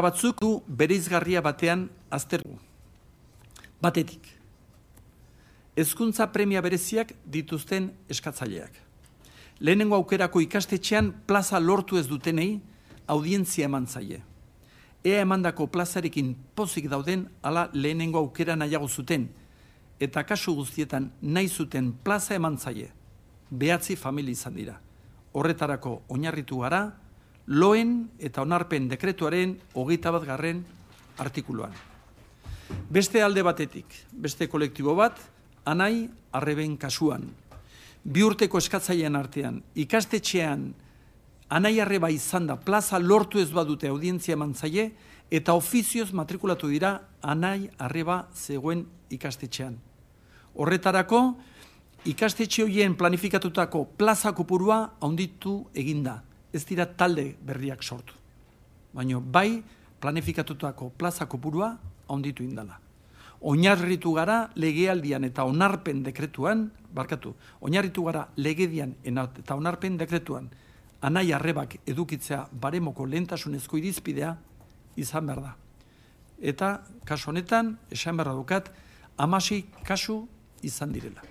batzuk du bereizgarria batean aztertu. Batetik, hezkuntza premia bereziak dituzten eskatzaileak. Lehenengo aukerako ikastetxean plaza lortu ez dutenei audientzia eman zaie. Ea emandako plazarekin pozik dauden ala lehenengo aukera nahiago zuten, eta kasu guztietan nahi zuten plaza eman zaie. 9 familia izan dira. Horretarako oinarritu gara, loen eta onarpen dekretuaren 21. artikuluan. Beste alde batetik, beste kolektibo bat, Anai Arreben kasuan. 2 urteko eskatzailean artean, ikastetxean Anai Arreba izan da plaza lortu ez badute audientzia eman zaie, eta ofizioz matrikulatu dira Anai Arreba zegoen ikastetxean. Horretarako, ikastetxe horien planifikatutako plaza kopurua handitu eginda. Ez dira talde berriak sortu. Baina bai planifikatutako plaza kopurua handitu indala. Oinarritu gara legealdian eta onarpen dekretuan, oinarritu gara legedian eta onarpen dekretuan, Anai Arrebak edukitzea baremoko lehentasunezko irizpidea izan behar da. Eta kasu honetan, esan behar dukat, 16 kasu izan direla.